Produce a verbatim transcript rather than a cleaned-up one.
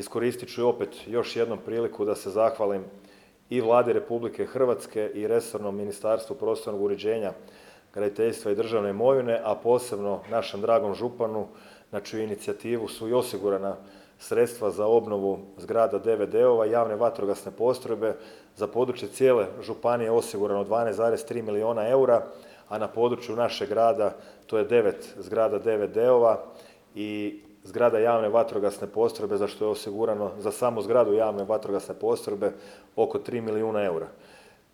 iskoristit ću opet još jednom priliku da se zahvalim i Vladi Republike Hrvatske i resornom Ministarstvu prostornog uređenja, graditeljstva i državne imovine, a posebno našem dragom županu na čiju inicijativu su i osigurana sredstva za obnovu zgrada D V D-ova i javne vatrogasne postrojbe. Za područje cijele županije je osigurano dvanaest zarez tri milijuna eura, a na području našeg grada to je devet zgrada D V D-ova i zgrada javne vatrogasne postrojbe, za što je osigurano za samu zgradu javne vatrogasne postrojbe oko tri milijuna eura.